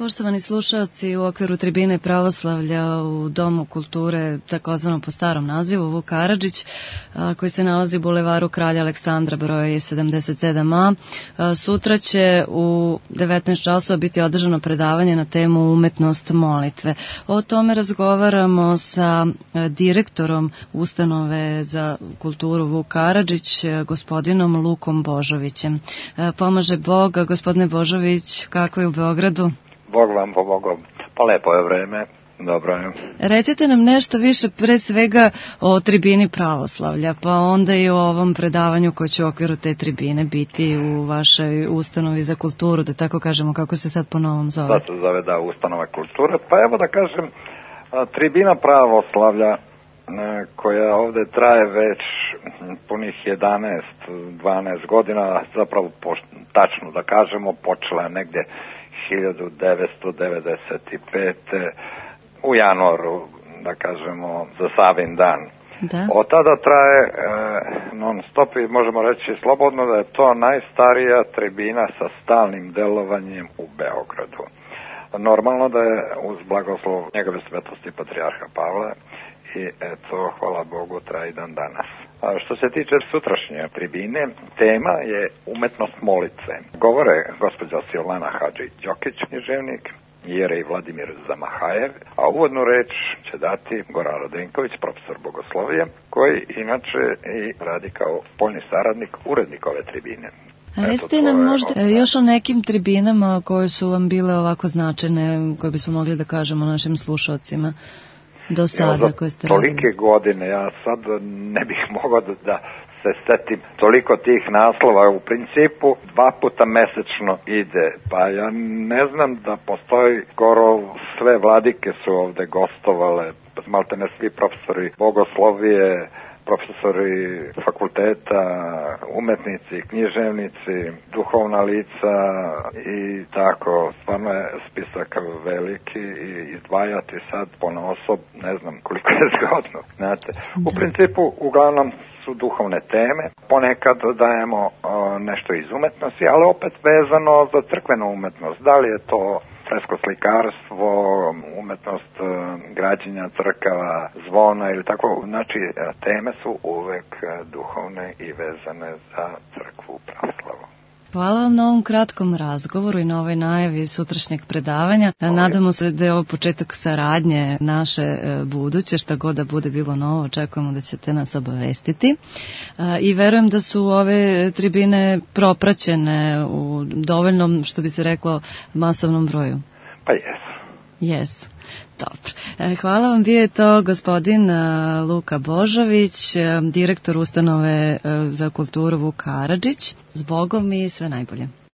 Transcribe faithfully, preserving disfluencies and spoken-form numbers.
Poštovani slušalci, u okviru tribine pravoslavlja u Domu kulture, takozvano po starom nazivu, Vuk Karadžić, koji se nalazi u bulevaru Kralja Aleksandra broj sedamdeset sedam a. Sutra će u devetnaest časova biti održano predavanje na temu umetnost molitve. O tome razgovaramo sa direktorom Ustanove za kulturu Vuk Karadžić, gospodinom Lukom Božovićem. Pomaže Bog. Gospodine Božović, kako je u Beogradu? Bog vam pomogao. Pa lepo je vreme, dobro je. Recite nam nešto više pre svega o tribini pravoslavlja, pa onda i o ovom predavanju koje će u okviru te tribine biti u vašoj ustanovi za kulturu, da tako kažemo, kako se sad po novom zove. Sad se zove, da, ustanova kulture. Pa evo da kažem, tribina pravoslavlja koja ovde traje već punih jedanaest dvanaest godina, zapravo tačno da kažemo, počela je negde hiljadu devetsto devedeset pete. u januaru, da kažemo, za Savin dan. Da. Od tada traje e, non stop i možemo reći slobodno da je to najstarija tribina sa stalnim delovanjem u Beogradu. Normalno da je uz blagoslov njegove svetosti patrijarha Pavla i eto, hvala Bogu, traje i dan danas. A što se tiče sutrašnje tribine, tema je umetnost molitve. Govore gospođa Silvana Hadžić-Đokić, književnik, Jerej Vladimir Zamahajev, a uvodnu reč će dati Goran Radenković, profesor bogoslovija, koji inače i radi kao spoljni saradnik, urednik ove tribine. Recite nam možda još o nekim tribinama koje su vam bile ovako značajne, koje bismo mogli da kažemo našim slušalcima do sada koje ste radili. Tolike godine, ja sad ne bih mogao da, da se setim toliko tih naslova. U principu dva puta mesečno ide, pa ja ne znam da postoji, skoro sve vladike su ovde gostovale, malte ne svi profesori bogoslovije, profesori fakulteta, umetnici, književnici, duhovna lica i tako. Stvarno je spisak veliki i izdvajati sad ponaosob, ne znam koliko je zgodno. Znate, u principu uglavnom su duhovne teme. Ponekad dajemo o, nešto iz umetnosti, ali opet vezano za crkvenu umetnost. Da li je to fresko slikarstvo, umetnost građenja crkava, zvona ili tako. Znači, teme su uvek duhovne i vezane za crkvu pravoslavnu. Hvala vam na ovom kratkom razgovoru i na ovoj najavi sutrašnjeg predavanja. Nadamo se da je ovo početak saradnje naše buduće, šta god da bude bilo novo, očekujemo da ćete nas obavestiti. I verujem da su ove tribine propraćene u dovoljnom, što bi se reklo, masovnom broju. Pa jesu. Jesu. Dobro. Hvala vam, bio je to gospodin Luka Božović, direktor Ustanove za kulturu Vuk Karadžić. S Bogom i sve najbolje.